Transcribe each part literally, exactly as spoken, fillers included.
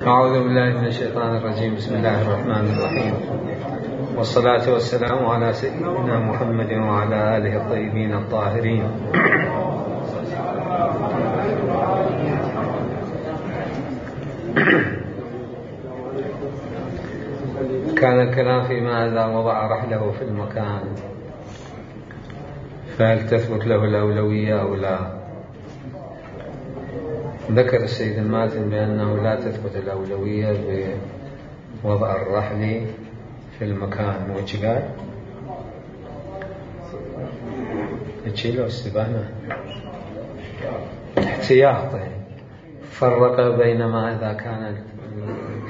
أعوذ بالله من الشيطان الرجيم. بسم الله الرحمن الرحيم، والصلاة والسلام على سيدنا محمد وعلى آله الطيبين الطاهرين. كان الكلام فيما إذا وضع رحله في المكان فهل تثبت له الأولوية أو لا. ذكر السيد الماتن بأنه لا تثبت الأولوية بوضع الرحل في المكان. وش قال؟ تشيله استبانة احتياط. فرق بينما إذا كانت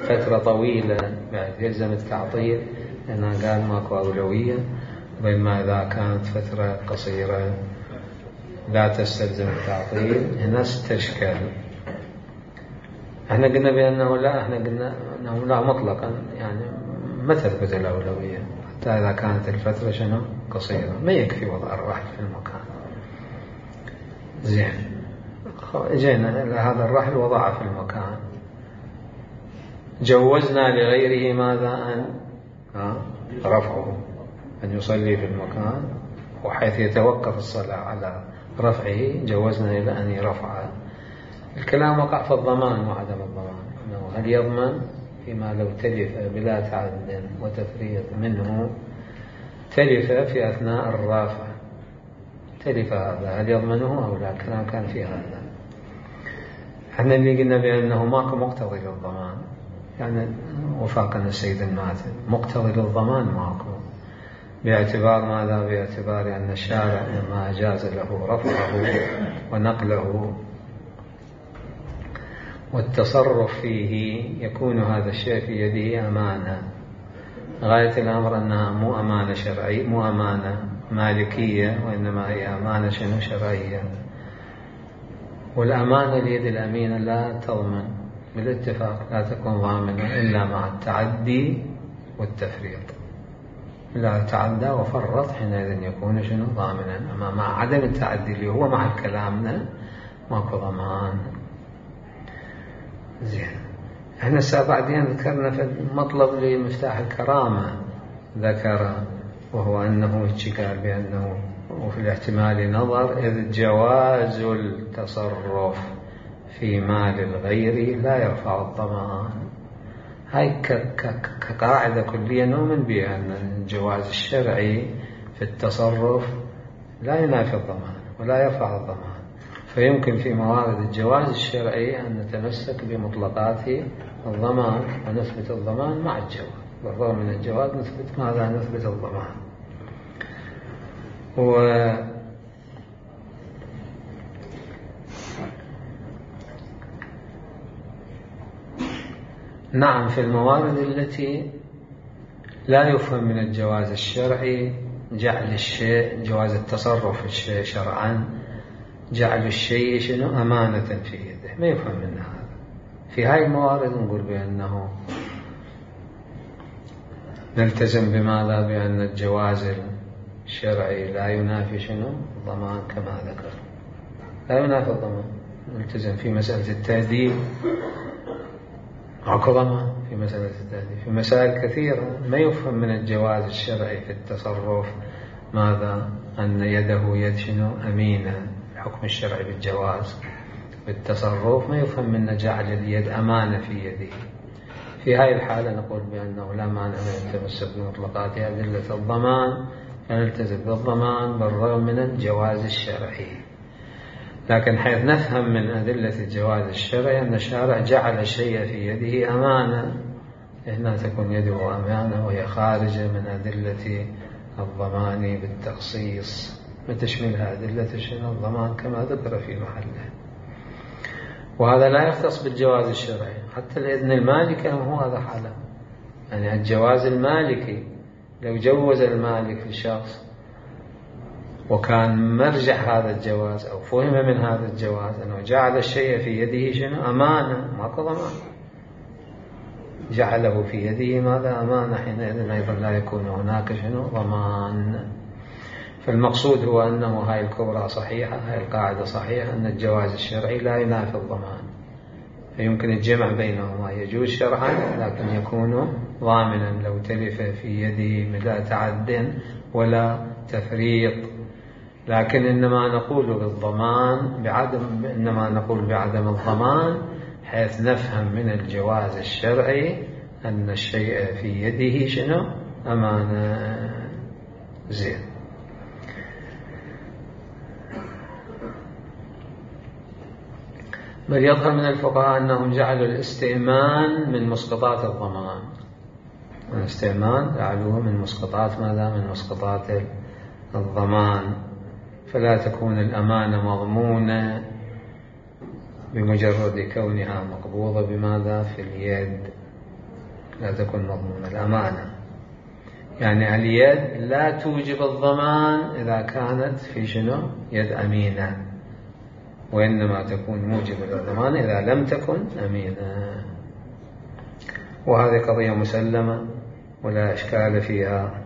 فترة طويلة بعد يلزم التعطيل لأنه قال ماكو أولوية، بينما إذا كانت فترة قصيرة لا تستلزم التعطيل. هنا استشكل. احنا قلنا بأنه لا، احنا قلنا أنه لا مطلقا، يعني ما تثبت الأولوية حتى إذا كانت الفترة شنو قصيرة، ما يكفي وضع الرحل في المكان. زين، اجينا إلى هذا الرحل وضعه في المكان، جوزنا لغيره ماذا؟ أن رفعه، أن يصلي في المكان، وحيث يتوقف الصلاة على رفعه جوزنا إلى أن يرفعه. الكلام وقع في الضمان وعدم الضمان، أنه هل يضمن فيما لو تلف بلا تعد وتفريط منه، تلف في أثناء الرافع، تلف هذا هل يضمنه أو لا؟ الكلام كان في هذا. احنا اللي قلنا بأنه ماكو مقتضي للضمان، يعني وفاقنا السيد الماتن مقتضي للضمان ماكو، باعتبار ماذا؟ باعتبار أن الشارع لما أجاز له رفعه ونقله والتصرف فيه يكون هذا الشيء في يده أمانة. غاية الأمر أنها مو أمانة شرعية، مو أمانة مالكية، وإنما هي أمانة شنو شرعية. والأمانة اليد الأمينة لا تضمن بالاتفاق، لا تكون ضامنة إلا مع التعدي والتفريط. إذا تعدى وفرط حينئذ يكون شنو ضامنا، أما مع عدم التعدي اللي هو مع كلامنا ماكو ضمان. زين، احنا الساعة بعدين ذكرنا في المطلب لمفتاح الكرامة، ذكر وهو أنه قال بأنه وفي الاحتمال نظر، إذ جواز التصرف في مال الغير لا يرفع الضمان. هاي كقاعدة كلية نؤمن بها، أن الجواز الشرعي في التصرف لا ينافي الضمان ولا يرفع الضمان، فيمكن في موارد الجواز الشرعي أن نتمسك بمطلقات الضمان ونثبت الضمان مع الجواز، بالرغم من الجواز نثبت ماذا؟ نثبت الضمان. و نعم، في الموارد التي لا يفهم من الجواز الشرعي جعل الشيء، جواز التصرف في الشيء شرعا، جعل الشيء شنو أمانة في يده، ما يفهم من هذا. في هاي الموارد نقول بأنه نلتزم بماذا؟ بأن الجواز الشرعي لا ينافي شنو الضمان كما ذكر، لا ينافي الضمان. نلتزم في مسألة التأديب ماكو ضمان، في مسألة التأديب في مسائل كثيرة ما يفهم من الجواز الشرعي في التصرف ماذا؟ أن يده يد شنو أمينة. الحكم الشرعي بالجواز بالتصرف ما يفهم من جعل اليد أمانة في يده. في هاي الحالة نقول بأنه لا مانع من التمسك بمطلقات أدلة الضمان، فنلتزم بالضمان بالرغم من الجواز الشرعي. لكن حيث نفهم من أدلة الجواز الشرعي أن الشارع جعل الشيء في يده أمانة، هنا تكون يده أمانة وهي خارجة من أدلة الضمان بالتخصيص، وتشملها أدلة شنو الضمان كما ذكر في محله. وهذا لا يختص بالجواز الشرعي، حتى الإذن المالكي هو هذا حاله. يعني الجواز المالكي لو جوز المالك للشخص وكان مرجع هذا الجواز أو فهم من هذا الجواز أنه جعل الشيء في يده شنو أمانة، ماكو ضمان، جعله في يده ماذا؟ أمانة، حينئذ أيضا لا يكون هناك شنو ضمان. فالمقصود هو أنه هاي الكبرى صحيحة، هاي القاعدة صحيحة، أن الجواز الشرعي لا ينافي الضمان. فيمكن الجمع بينهما، يجوز شرعا لكن يكون ضامنا لو تلف في يده بلا تعد ولا تفريط. لكن إنما نقول بالضمان بعدم إنما نقول بعدم الضمان حيث نفهم من الجواز الشرعي أن الشيء في يده شنو؟ أمانة. زين. بل يظهر من الفقهاء أنهم جعلوا الاستئمان من مسقطات الضمان. الاستئمان جعلوه من مسقطات ماذا؟ من مسقطات الضمان. فلا تكون الأمانة مضمونة بمجرد كونها مقبوضة بماذا؟ في اليد. لا تكون مضمونة الأمانة، يعني اليد لا توجب الضمان إذا كانت في شنو؟ يد أمينة، وإنما تكون موجبة للضمان إذا لم تكن أمينة. وهذه قضية مسلمة ولا إشكال فيها،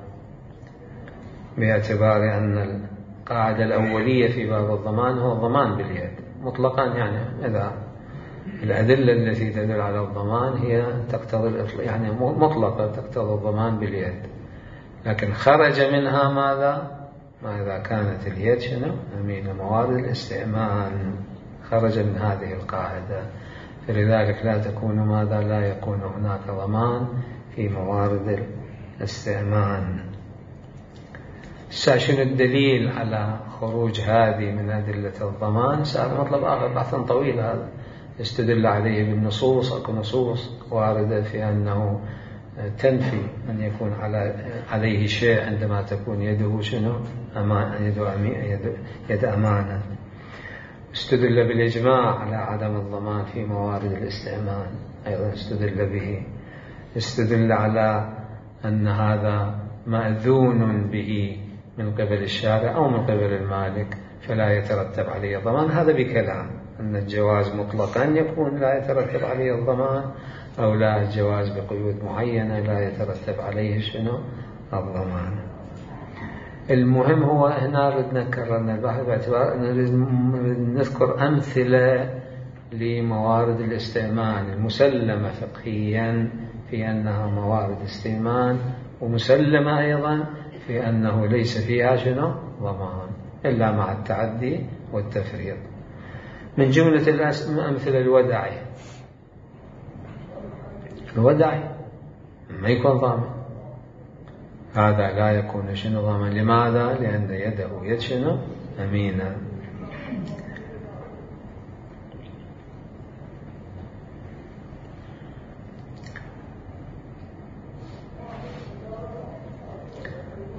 باعتبار أن القاعدة الأولية في باب الضمان هو الضمان باليد مطلقا. يعني إذا الأدلة التي تدل على الضمان هي تقتضي يعني مطلقة تقتضي الضمان باليد، لكن خرج منها ماذا؟ ما إذا كانت اليد شنو؟ أمينة. موارد الاستئمان خرج من هذه القاعدة، فلذلك لا تكون ماذا؟ لا يكون هناك ضمان في موارد الاستئمان. شنو الدليل على خروج هذه من أدلة الضمان؟ سأل مطلب آخر بحث طويل، هذا استدل عليه بالنصوص. أكو نصوص واردة في أنه تنفي أن يكون على عليه شيء عندما تكون يده شنو؟ أمان، يد يد يد أمانة. استدل بالإجماع على عدم الضمان في موارد الاستئمان، أيضا استدل به. استدل على أن هذا مأذون به من قبل الشارع أو من قبل المالك فلا يترتب عليه الضمان. هذا بكلام أن الجواز مطلقا يكون لا يترتب عليه الضمان، أو لا الجواز بقيود معينة لا يترتب عليه شنو؟ الضمان. المهم هو هنا ردنا كررنا البحث باعتبار أن نذكر أمثلة لموارد الاستئمان المسلمة فقهيا في أنها موارد استئمان، ومسلمة أيضا في أنه ليس فيها شنو؟ ضمان إلا مع التعدي والتفريط. من جملة الأمثلة الوداعي. الوداعي ما يكون ضامن، هذا لا يكون شنو؟ ضامن. لماذا؟ لأن يده يد شنو؟ أمينة.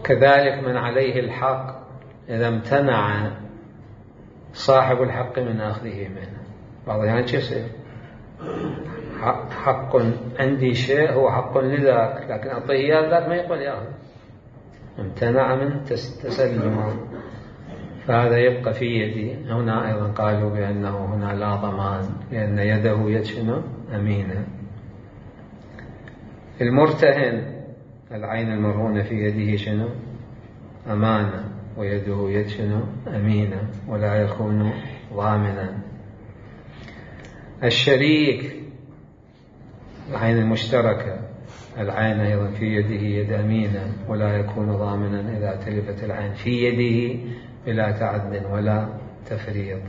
كذلك من عليه الحق إذا امتنع صاحب الحق من أخذه منه. بعض الأحيان شو يصير؟ حق عندي شيء هو حق لذاك، لكن أعطيه إياه ذاك ما يقبل يأخذ، امتنع من تسلمه، فهذا يبقى في يدي. هنا أيضا قالوا بأنه هنا لا ضمان لأن يده يد شنو؟ أمينة. المرتهن العين المرهونة في يده شنو؟ أمانة، ويده يد شنو؟ أمينة، ولا يكون ضامنا. الشريك العين المشتركة العين أيضا في يده يد أمينة، ولا يكون ضامنا إذا تلفت العين في يده بلا تعد ولا تفريط.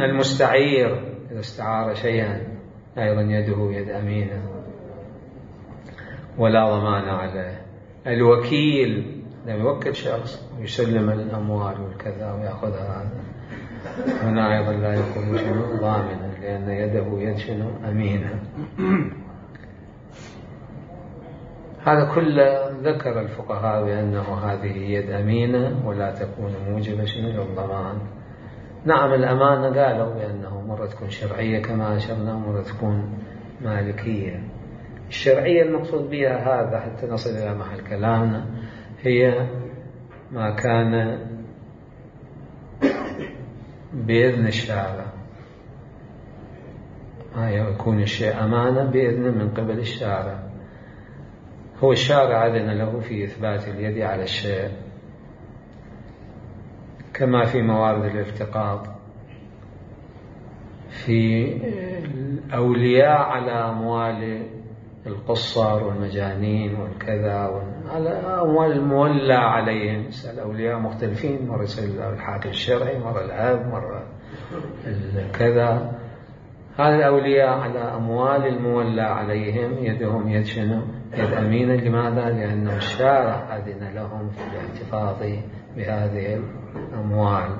المستعير إذا استعار شيئا أيضا يده يد أمينة ولا ضمان عليه. الوكيل لما يوكل شخص ويسلم الأموال والكذا ويأخذها، هذا هنا أيضا لا يكون شنو؟ ضامنا لأن يده يد شنو؟ أمينة. هذا كله ذكر الفقهاء بأنه هذه يد أمينة ولا تكون موجبة شنو؟ للضمان. نعم الأمانة قالوا بأنه مرة تكون شرعية كما أشرنا، مرة تكون مالكية. الشرعية المقصود بها هذا حتى نصل إلى محل كلامنا هي ما كان بإذن الشارع، ما يكون الشيء أمانة بإذن من قبل الشارع. هو الشارع أذن له في إثبات اليد على الشيء، كما في موارد الالتقاط في الأولياء على أموال القصر والمجانين والكذا، على أموال المولى عليهم. الأولياء مختلفين، مرة يصير الحاكم الشرعي، مرة الأب، مرة الكذا. هذا الأولياء على أموال المولى عليهم يدهم يد شنو؟ يد أمينة. لماذا؟ لأن الشارع أذن لهم في الاحتفاظ بهذه الأموال.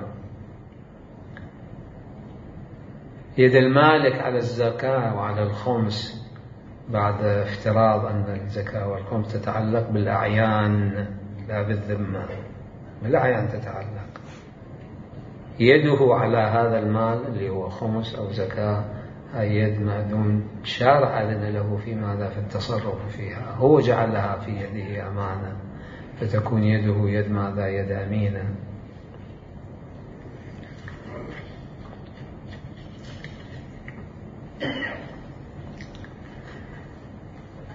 يد المالك على الزكاة وعلى الخمس، بعد افتراض أن الزكاة والخمس تتعلق بالأعيان لا بالذمة، بالأعيان تتعلق. يده على هذا المال اللي هو خمس أو زكاة، هاي يد مأذون، شارع أذن له في ماذا؟ في التصرف فيها، هو جعلها في يده أمانة، فتكون يده يد ماذا؟ يد أمينة.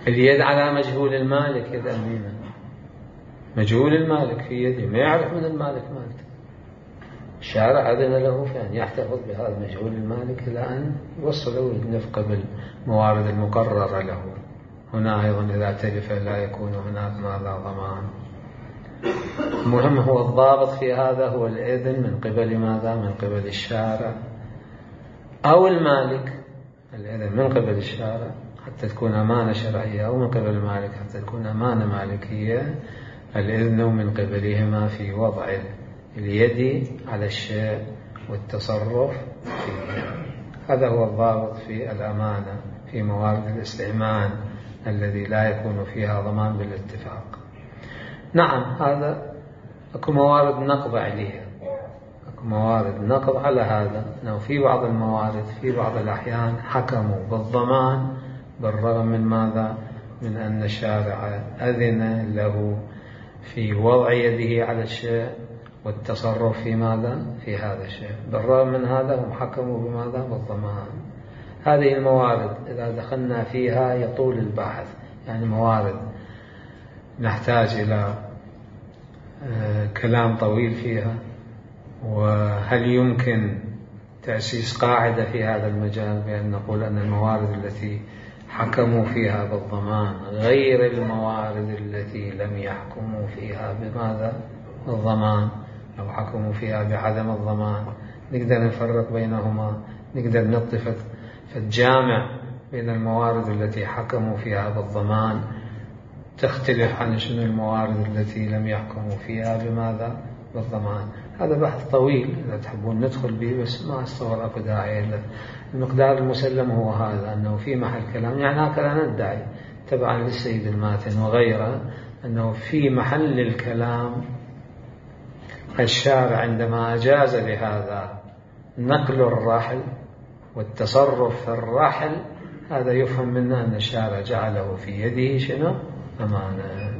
اليد على مجهول المالك يد أمينة. مجهول المالك في يده، ما يعرف من المالك مالته، الشارع أذن له في أن يحتفظ بهذا مجهول المالك إلى أن يوصله النفقة بالموارد المقررة له. هنا أيضا إذا تلف لا يكون هناك ماذا؟ ضمان. المهم هو الضابط في هذا هو الإذن من قبل ماذا؟ من قبل الشارع أو المالك. الإذن من قبل الشارع حتى تكون أمانة شرعية، أو من قبل المالك حتى تكون أمانة مالكية. الإذن من قبلهما في وضع اليد على الشيء والتصرف فيه. هذا هو الضابط في الأمانة في موارد الاستئمان الذي لا يكون فيها ضمان بالاتفاق. نعم، هذا أكو موارد نقض عليها، أكو موارد نقض على هذا، أنه في بعض الموارد في بعض الأحيان حكموا بالضمان بالرغم من ماذا؟ من أن الشارع أذن له في وضع يده على الشيء والتصرف في ماذا؟ في هذا الشيء. بالرغم من هذا هم حكموا بماذا؟ بالضمان. هذه الموارد إذا دخلنا فيها يطول البحث، يعني موارد نحتاج إلى كلام طويل فيها. وهل يمكن تأسيس قاعدة في هذا المجال بأن نقول أن الموارد التي حكموا فيها بالضمان غير الموارد التي لم يحكموا فيها بماذا؟ بالضمان، أو حكموا فيها بعدم الضمان؟ نقدر نفرق بينهما، نقدر نطفت فالجامع بين الموارد التي حكموا فيها بالضمان تختلف عن شنو الموارد التي لم يحكموا فيها بماذا؟ بالضمان. هذا بحث طويل إذا تحبون ندخل به، بس ما أتصور أكو داعي له. المقدار المسلم هو هذا، أنه في محل كلام، يعني هكذا ندعي تبعا للسيد الماتن وغيره أنه في محل الكلام الشارع عندما أجاز لهذا نقل الرحل والتصرف في الرحل، هذا يفهم منه أن الشارع جعله في يده شنو؟ أمانة،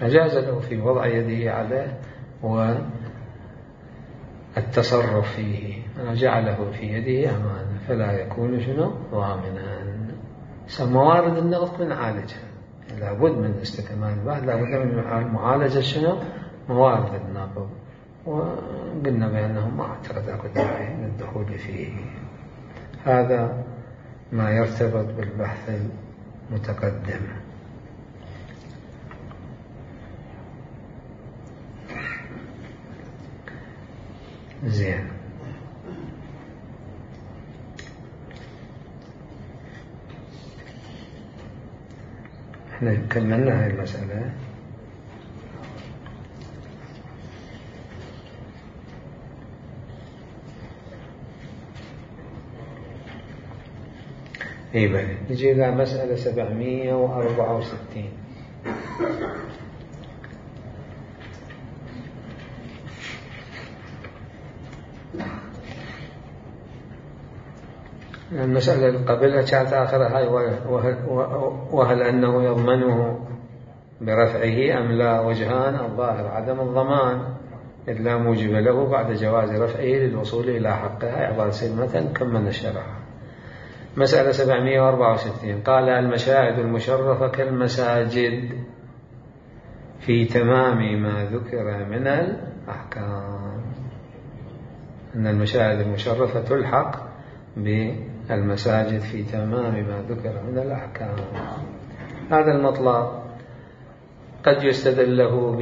أجاز له في وضع يده عليه والتصرف فيه، جعله في يده أمانة، فلا يكون شنو؟ ضامنا. موارد النقض بنعالجها، لابد من استكمال البحث، لابد من معالجة شنو؟ موارد النقض. وقلنا بأنهم ما اعتقد أكو داعي للدخول فيه. هذا ما يرتبط بالبحث المتقدم. زين، احنا كملنا هاي المسألة. اي بلى، نجي إلى مسألة سبعمية وأربعة وستين. المسألة اللي قبلها كانت آخرها هاي، وهل, وهل أنه يضمنه برفعه أم لا؟ وجهان، الظاهر عدم الضمان إذ لا موجب له بعد جواز رفعه للوصول إلى حقه. هاي عبارة سلمة كملنا الشرح. مسألة سبعمية وأربعة وستين قال: المشاهد المشرفة كالمساجد في تمام ما ذكر من الأحكام. أن المشاهد المشرفة تلحق بالمساجد في تمام ما ذكر من الأحكام. هذا المطلب قد يستدل له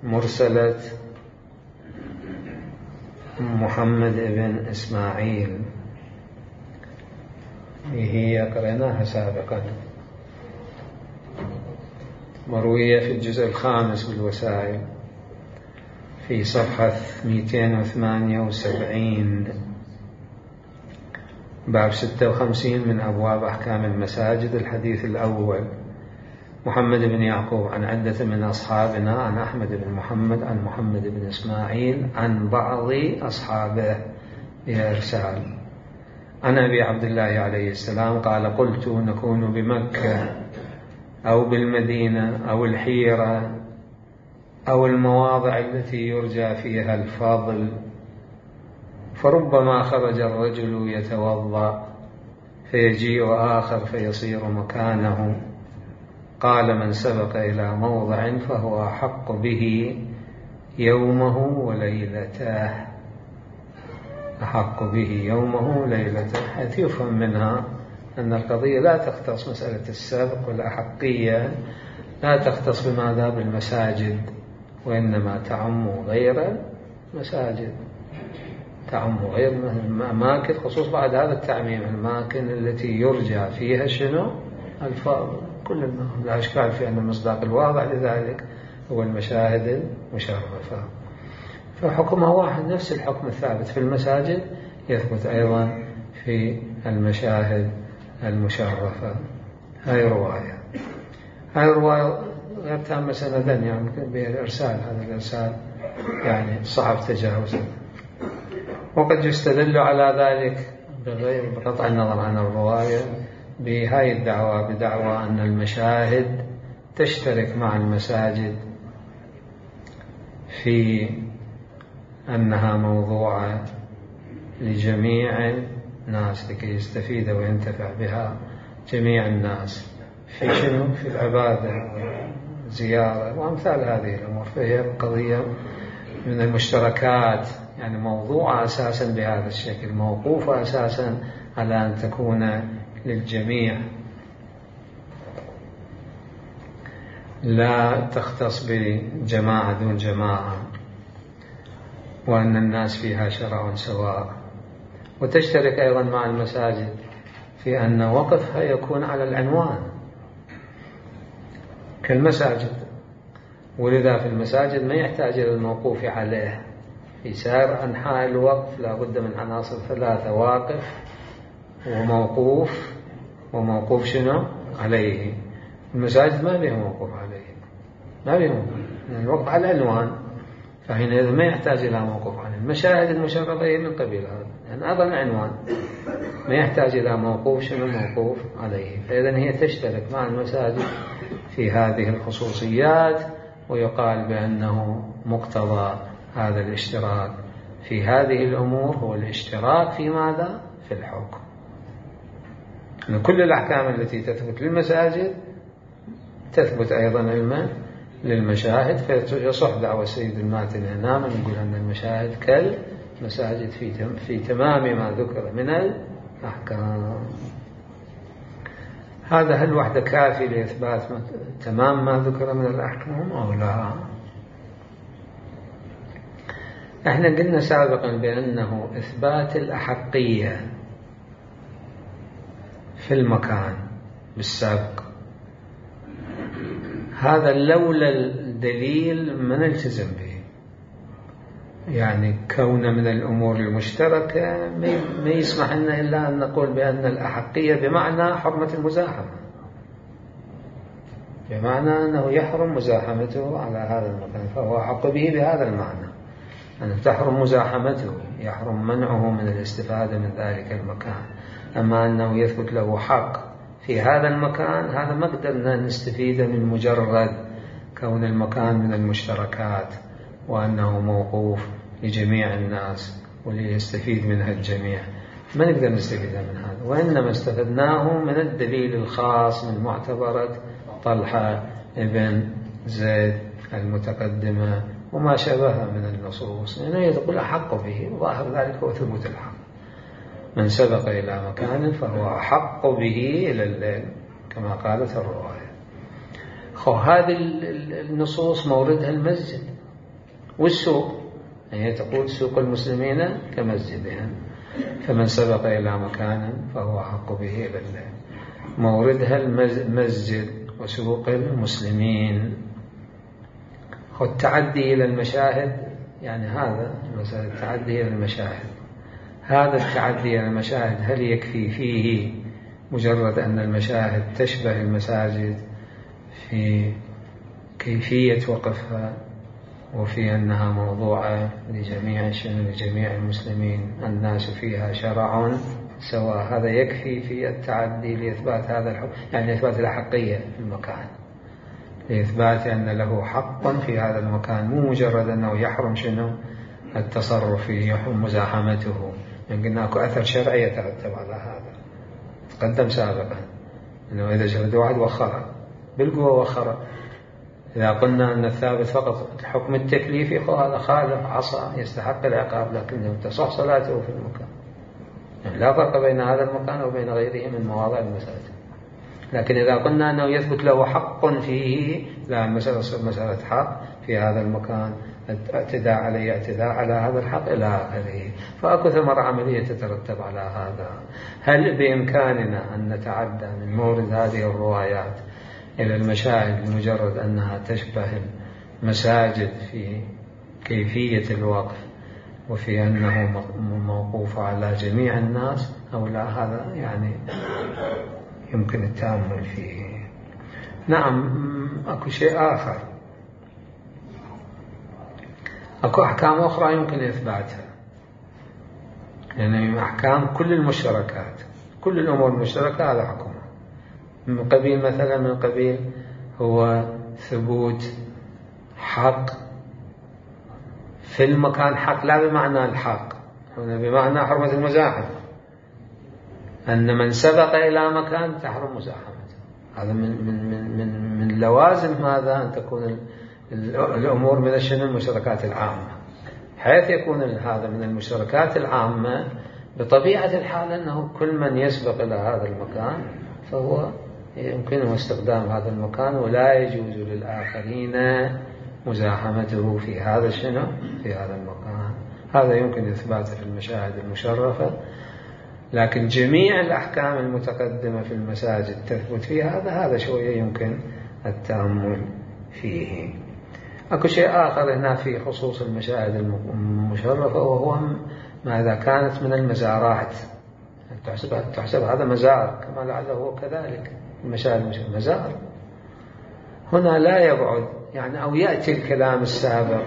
بمرسلة محمد بن إسماعيل، هي قرأناها سابقا، مروية في الجزء الخامس بالوسائل في صفحة مئتين وثمانية وسبعين، باب ستة وخمسين من أبواب أحكام المساجد. الحديث الأول: محمد بن يعقوب عن عدة من أصحابنا عن أحمد بن محمد عن محمد بن إسماعيل عن بعض أصحابه بإرسال عن أبي عبد الله عليه السلام قال: قلت نكون بمكة أو بالمدينة أو الحيرة أو المواضع التي يرجى فيها الفضل، فربما خرج الرجل يتوضأ فيجيء آخر فيصير مكانه. قال: من سبق إلى موضع فهو أحق به يومه وليلته، أحق به يومه وليلته، حيث يفهم منها أن القضية لا تختص مسألة السبق والأحقية، لا تختص بماذا بالمساجد، وإنما تعم غير المساجد، تعم غير الأماكن، خصوص بعد هذا التعميم الأماكن التي يرجع فيها شنو الفضل. كل لا إشكال في أن المصداق الواضح لذلك هو المشاهد المشرفة، فحكمها واحد، نفس الحكم الثابت في المساجد يثبت أيضا في المشاهد المشرفة. هاي رواية هاي رواية غير تامة سندا، يعني بالإرسال، هذا الإرسال يعني صعب تجاوزه. وقد يستدل على ذلك بغير بقطع النظر عن الرواية بهاي الدعوة، بدعوى أن المشاهد تشترك مع المساجد في أنها موضوعة لجميع الناس لكي يستفيد وينتفع بها جميع الناس في شنو؟ في العبادة والزيارة وأمثال هذه الأمور. فهي قضية من المشتركات، يعني موضوعة أساسا بهذا الشكل، موقوفة أساسا على أن تكون للجميع، لا تختص بجماعة دون جماعة، وأن الناس فيها شرع سواء. وتشترك أيضا مع المساجد في أن وقفها يكون على العنوان كالمساجد، ولذا في المساجد ما يحتاج إلى الموقوف عليه. في سائر أنحاء الوقف لا بد من عناصر ثلاثة: واقف وموقوف وموقوف شنو عليه. المساجد ما بها موقوف عليه، ما بها موقوف، يعني الوقف على العنوان، فحينئذ ما يحتاج إلى موقوف عليه. المشاهد المشرفة هي من قبيل هذا، يعني هذا العنوان ما يحتاج إلى موقوف شنو موقوف عليه. فإذن هي تشترك مع المساجد في هذه الخصوصيات، ويقال بأنه مقتضى هذا الاشتراك في هذه الأمور هو الاشتراك في ماذا؟ في الحكم. من كل الأحكام التي تثبت للمساجد تثبت أيضا علما للمشاهد، فيصح دعوة السيد الماتن هنا من يقول أن المشاهد كالمساجد في في تمام ما ذكر من الأحكام. هذا هل وحده كافي لإثبات تمام ما ذكر من الأحكام أو لا؟ احنا قلنا سابقا بأنه إثبات الأحقية في المكان بالسابق، هذا لولا الدليل ما نلتزم به، يعني كون من الأمور المشتركة ما يسمح لنا إلا أن نقول بأن الأحقية بمعنى حرمة المزاحمة، بمعنى أنه يحرم مزاحمته على هذا المكان، فهو أحق به بهذا المعنى، أن تحرم مزاحمته، يحرم منعه من الاستفادة من ذلك المكان. أما أنه يثبت له حق في هذا المكان، هذا ما قدرنا نستفيد من مجرد كون المكان من المشتركات وأنه موقوف لجميع الناس وليستفيد منها الجميع، ما نقدر نستفيد من هذا. وإنما استفدناه من الدليل الخاص من معتبرة طلحة ابن زيد المتقدمة وما شابه من النصوص، لأنه يعني يقول أحق به، وظاهر ذلك هو ثبوت الحق. من سبق إلى مكان فهو أحق به إلى الليل كما قالت الرواية. خو هذه النصوص موردها المسجد والسوق، هي تقول سوق المسلمين كمسجدهم، فمن سبق إلى مكان فهو أحق به إلى الليل، موردها المسجد وسوق المسلمين. خو التعدي إلى المشاهد، يعني هذا مثلا التعدي إلى المشاهد، هذا التعدي إلى المشاهد هل يكفي فيه مجرد أن المشاهد تشبه المساجد في كيفية وقفها وفي أنها موضوعة لجميع لجميع المسلمين الناس فيها شرع سواء، هذا يكفي في التعدي لإثبات هذا الحكم، يعني إثبات الأحقية في المكان، لإثبات أن له حق في هذا المكان، مو مجرد أنه يحرم شنو التصرف فيه، يحرم مزاحمته. يعني قلنا أكو أثر شرعي يترتب على هذا، تقدم سابقا أنه إذا شهد واحد وخر بالقوة وخر، إذا قلنا أن الثابت فقط الحكم التكليفي فهذا خالف عصى يستحق العقاب، لكنه تصح صلاته في المكان، يعني لا فرق بين هذا المكان وبين غيره من مواضع المساجد. لكن إذا قلنا أنه يثبت له حق فيه، لا، المسألة مسألة حق في هذا المكان، اعتداء عليه اعتداء على هذا الحق إلى آخره، فأكو ثمرة عملية تترتب على هذا. هل بإمكاننا أن نتعدى من مورد هذه الروايات إلى المشاهد لمجرد أنها تشبه المساجد في كيفية الوقف وفي أنه موقوف على جميع الناس أو لا؟ هذا يعني يمكن التأمل فيه. نعم، أكو شيء آخر، أكو أحكام أخرى يمكن إثباتها، يعني أحكام كل المشتركات، كل الأمور المشتركة هذا حكمها، من قبيل مثلا من قبيل هو ثبوت حق في المكان، حق لا بمعنى الحق، هنا بمعنى حرمة المزاحمة، أن من سبق إلى مكان تحرم مزاحمته. هذا من من من من من لوازم هذا أن تكون الأمور من الشنو المشتركات العامة، حيث يكون هذا من المشتركات العامة بطبيعة الحال أنه كل من يسبق إلى هذا المكان فهو يمكنه استخدام هذا المكان، ولا يجوز للآخرين مزاحمته في هذا الشنو في هذا المكان. هذا يمكن إثباته في المشاهد المشرفة، لكن جميع الأحكام المتقدمة في المساجد تثبت فيها هذا هذا شوية يمكن التأمل فيه. أكو شيء آخر هنا في خصوص المشاهد المشرفة، وهو ما إذا كانت من المزارات، تحسب تحسب هذا مزار كما لعله هو كذلك المشاهد المشرفة مزار. هنا لا يبعد يعني أو يأتي الكلام السابق،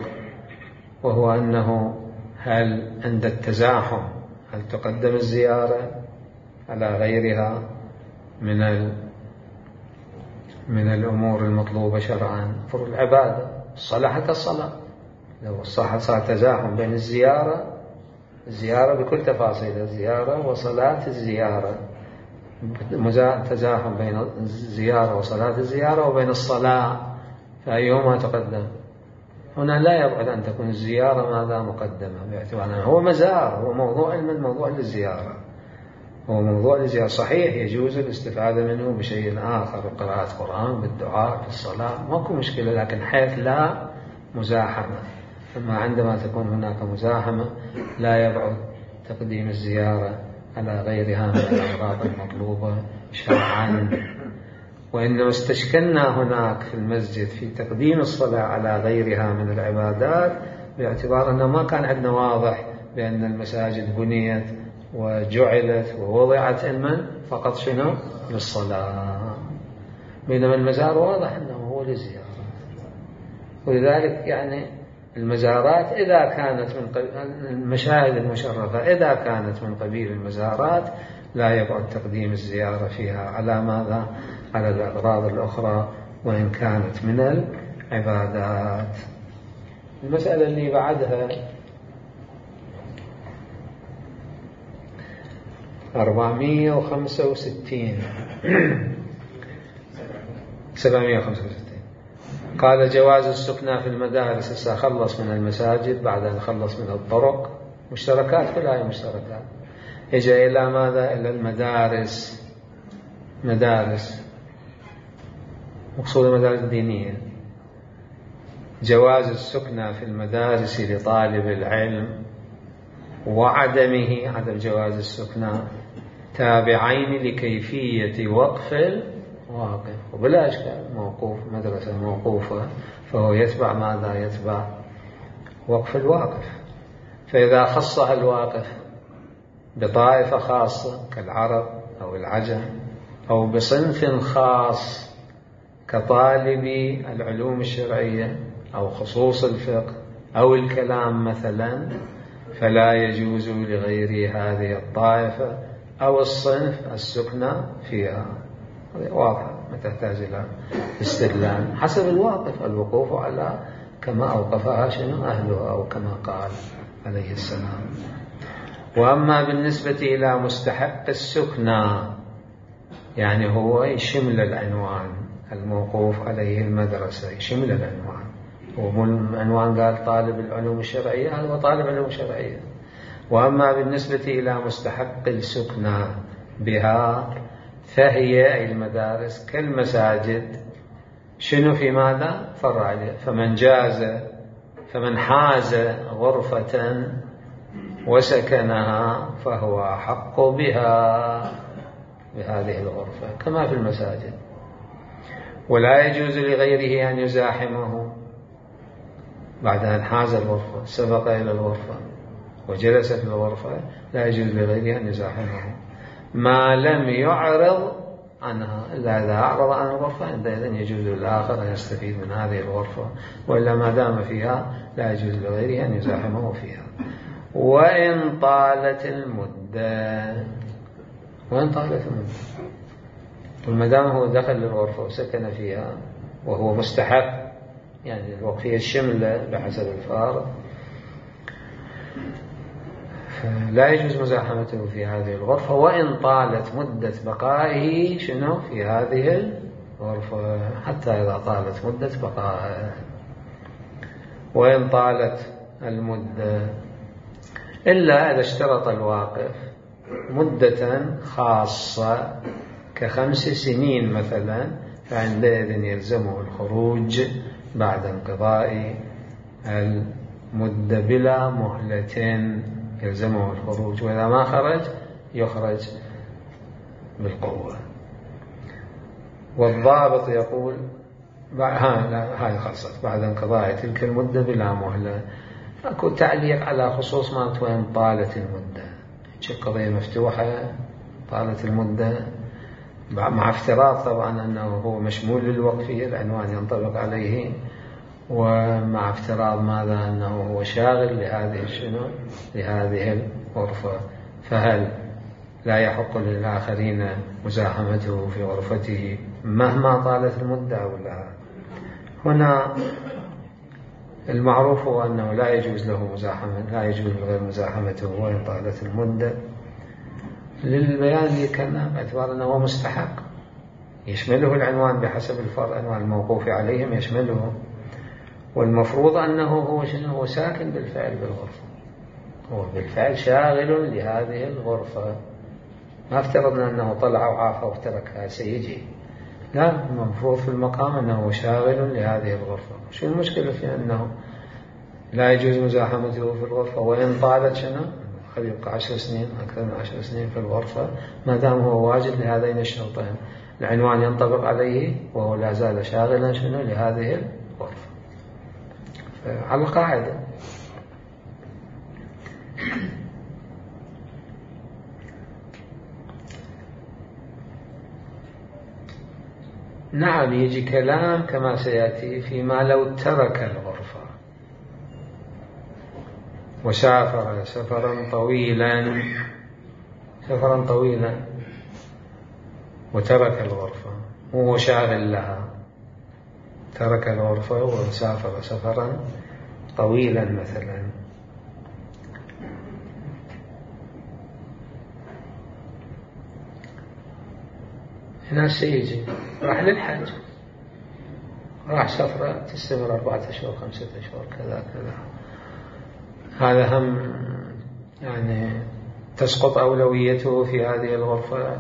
وهو أنه هل عند التزاحم هل تقدم الزيارة على غيرها من من الأمور المطلوبة شرعا؟ فرض العبادة، الصلاة حتى الصلاة، لو الصحة صار تزاحم بين الزيارة الزيارة بكل تفاصيلها، الزيارة وصلاة الزيارة، تزاحم بين الزيارة وصلاة الزيارة وبين الصلاة، فأيهما تقدم؟ هنا لا يبعد أن تكون الزيارة ماذا مقدمة، باعتبار أنه هو مزار، هو موضوع من موضوع للزيارة، هو موضوع للزيارة. صحيح يجوز الاستفادة منه بشيء آخر، قراءة قرآن بالدعاء في الصلاة، ماكو مشكلة، لكن حيث لا مزاحمة. أما عندما تكون هناك مزاحمة لا يبعد تقديم الزيارة على غيرها من الأغراض المطلوبة شرعا. وإنما استشكلنا هناك في المسجد في تقديم الصلاة على غيرها من العبادات، باعتبار أنه ما كان عندنا واضح بأن المساجد بنيت وجعلت ووضعت علما فقط شنو للصلاة، بينما المزار واضح أنه هو للزيارة. ولذلك يعني المزارات إذا كانت من قبيل المشاهد المشرفة، إذا كانت من قبيل المزارات لا يبعد تقديم الزيارة فيها على ماذا؟ على الأغراض الأخرى وإن كانت من العبادات. المسألة اللي بعدها أربعمائة وخمسة وستين سبعمائة وخمسة وستين قال جواز السكنى في المدارس. هسه خلص من المساجد بعد أن خلص من الطرق، مشتركات في الآية مشتركات. إجا إلى ماذا؟ إلى المدارس. مدارس مقصود المدارس الدينية، جواز السكنى في المدارس لطالب العلم وعدمه، عدم جواز السكنى، تابعين لكيفية وقف الواقف. وبلا إشكال موقوف مدرسة موقوفة فهو يتبع ماذا؟ يتبع وقف الواقف. فإذا خصها الواقف بطائفة خاصة كالعرب أو العجم أو بصنف خاص كطالب العلوم الشرعية أو خصوص الفقه أو الكلام مثلا، فلا يجوز لغير هذه الطائفة أو الصنف السكنى فيها. واضحة ما تحتاج إلى استدلال، حسب الواقف الوقوف على كما أوقفها شنو أهلها أو كما قال عليه السلام. وأما بالنسبة إلى مستحق السكنى يعني هو يشمل العنوان الموقوف عليه المدرسة، يشمل العنوان. والعنوان قال طالب العلوم الشرعية، هذا هو طالب العلوم الشرعية. وأما بالنسبة إلى مستحق السكنى بها فهي أي المدارس كالمساجد شنو في ماذا؟ فرع عليه. فمن جاز فمن حاز غرفة وسكنها فهو أحق بها بهذه الغرفة كما في المساجد. ولا يجوز لغيره أن يزاحمه بعد أن حاز الغرفة، سبق إلى الغرفة وجلس في الغرفة، لا يجوز لغيره أن يزاحمه ما لم يعرض عنها، إلا إذا أعرض عن الغرفة عندئذ يجوز للآخر أن يستفيد من هذه الغرفة، وإلا ما دام فيها لا يجوز لغيره أن يزاحمه فيها. وإن طالت المدة، وإن طالت المدة، وما دام هو دخل للغرفة وسكن فيها وهو مستحق، يعني الوقفية الشملة بحسب الفارق، لا يجوز مزاحمته في هذه الغرفة وإن طالت مدة بقائه شنو في هذه الغرفة، حتى إذا طالت مدة بقائه. وإن طالت المدة إلا إذا اشترط الواقف مدة خاصة كخمس سنين مثلا، فعندئذ يلزمه الخروج بعد انقضاء المدة بلا مهلة، يلزمه الخروج، وإذا ما خرج يخرج بالقوة. والضابط يقول هاي خاصة بعد انقضاء تلك المدة بلا مهلة. أكو تعليق على خصوص ما وين طالت المدة، قضية مفتوحة طالت المدة مع افتراض طبعا أنه هو مشمول للوقفية، العنوان ينطبق عليه، ومع افتراض ماذا؟ أنه هو شاغل لهذه شنو لهذه الغرفة، فهل لا يحق للآخرين مزاحمته في غرفته مهما طالت المدة أو لا؟ هنا المعروف هو أنه لا يجوز له مزاحمة، لا يجوز غير مزاحمته وإن طالت المدة، للبيان لكنا باعتبار أنه هو مستحق يشمله العنوان بحسب الفرع، عنوان الموقوف عليهم يشمله، والمفروض أنه هو شنو هو ساكن بالفعل بالغرفة، هو بالفعل شاغل لهذه الغرفة، ما افترضنا أنه طلع وعافى وتركها سيجي، لا، المفروض في المقام أنه شاغل لهذه الغرفة. شو المشكلة في أنه لا يجوز مزاحمته في الغرفة وإن طالت شنو قد يبقى عشر سنين أكثر من عشر سنين في الغرفة، ما دام هو واجد لهذين الشرطين، العنوان ينطبق عليه وهو لا زال شاغلا شنو لهذه الغرفة على القاعدة. نعم يجي كلام كما سيأتي فيما لو ترك الغرفة وسافر سفرا طويلا سفرا طويلا وترك الغرفة وهو شاغل لها، ترك الغرفة وسافر سفرا طويلا مثلا، هنا سيجي راح للحج، راح سفرة تستمر أربعة أشهر خمسة أشهر كذا كذا، هذا هم يعني تسقط أولويته في هذه الغرفة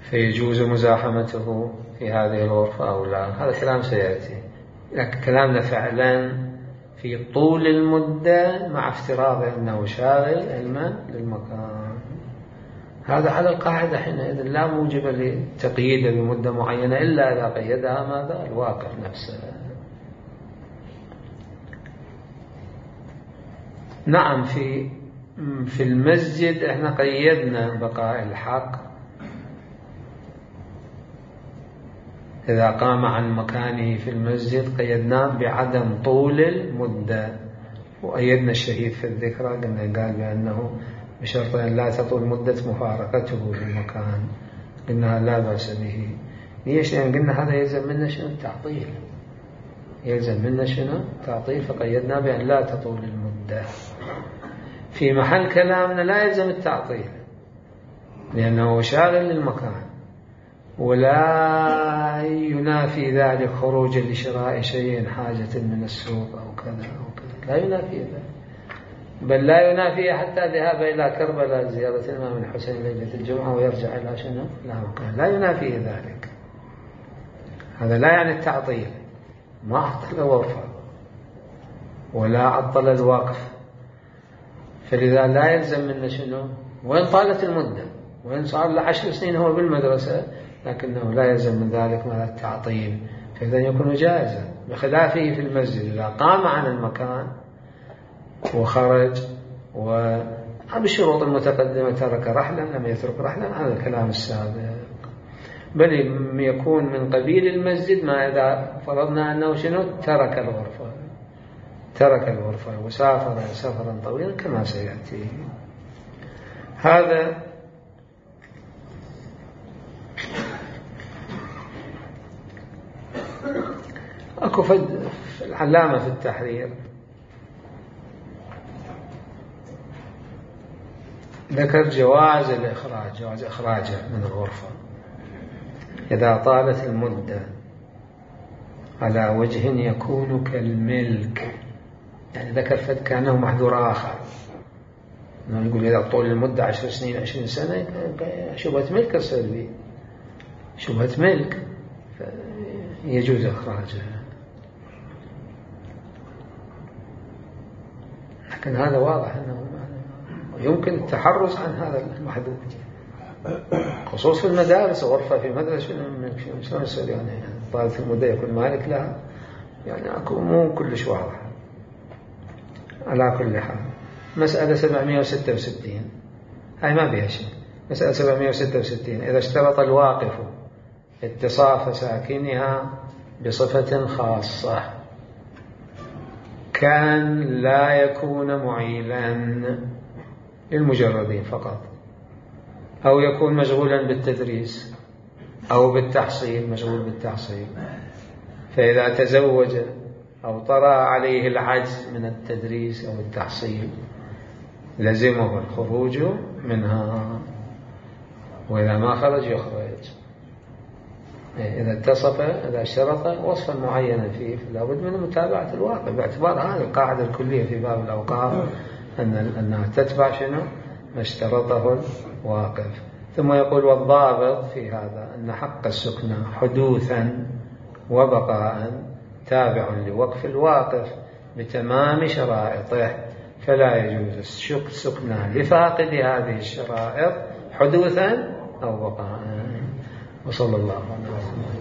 فيجوز مزاحمته في هذه الغرفة أو لا. هذا كلام سيأتي، لكن كلامنا فعلا في طول المدة مع افتراض أنه شاغل علما للمكان. هذا على القاعدة حينئذ لا موجب لتقييده بمدة معينة إلا إذا قيدها ماذا؟ الواقف نفسه. نعم، في في المسجد احنا قيدنا بقاء الحق إذا قام عن مكانه في المسجد، قيدناه بعدم طول المدة، وأيدنا الشهيد في الذكرى قلنا قال بأنه بشرط أن لا تطول مدة مفارقته في المكان، قلنا لا بأس به. ليش؟ لأن قلنا هذا يلزم منا شنو؟ التعطيل، يلزم منا شنو؟ تعطيل، فقيدنا بأن لا تطول المدة. في محل كلامنا لا يلزم التعطيل لأنه شاغل للمكان، ولا ينافي ذلك خروجا لشراء شيء حاجة من السوق أو كذا أو كذا، لا ينافي ذلك، بل لا ينافي حتى ذهاب إلى كربلاء زيارة الإمام الحسين ليلة الجمعة ويرجع إلى شنو؟ لا مكان، لا ينافي ذلك. هذا لا يعني التعطيل، ما عطل الغرفة ولا عطل الوقف، فلذا لا يلزم منا شنو؟ وين طالت المدة، وين صار له عشر سنين هو بالمدرسة، لكنه لا يلزم من ذلك ما التعطيل، فإذا يكون جائزا، بخلافه في المسجد إذا قام عن المكان وخرج وبالشروط المتقدمة ترك رحلا لم يترك رحلا، هذا الكلام السابق. بل يكون من قبيل المسجد ما إذا فرضنا أنه شنو؟ ترك الغرفة ترك الغرفة وسافر سفرا طويلا كما سيأتي. هذا أكو فد العلامة في التحرير ذكر جواز الإخراج، جواز إخراجه من الغرفة إذا طالت المدة على وجه يكون كالملك، يعني ذكر فد كأنه محذور آخر، إنه يقول إذا طول المدة عشر سنين عشرين سنة شبهة ملك تصير به، شبهة ملك يجوز إخراجها. لكن هذا واضح أنه يمكن التحرز عن هذا المحدود، خصوص في المدارس، غرفة في مدرسة شلون يصير يعني طالت المدة يكون مالك لها، يعني أكو مو كلش واضح. على كل حال مسألة سبعمائة وستة وستين هاي ما بيها شيء. مسألة سبعمائة وستة وستين إذا اشترط الواقف اتصاف ساكنها بصفة خاصة كان لا يكون معيلا للمجردين فقط، أو يكون مشغولا بالتدريس أو بالتحصيل، مشغول بالتحصيل، فإذا تزوج أو طرأ عليه العجز من التدريس أو التحصيل لزمه الخروج منها، وإذا ما خرج يخرج. إذا اتصف إذا شرط وصفا معينا فيه لابد من متابعة الواقع، باعتبار هذه القاعدة الكلية في باب الأوقاف أن أنها تتبع شنو؟ ما اشترطه الواقف. ثم يقول والضابط في هذا أن حق السكنى حدوثا وبقاء تابع لوقف الواقف بتمام شرائطه، فلا يجوز السكنى لفاقد هذه الشرائط حدوثا أو بقاء. وصلى الله عليه وسلم.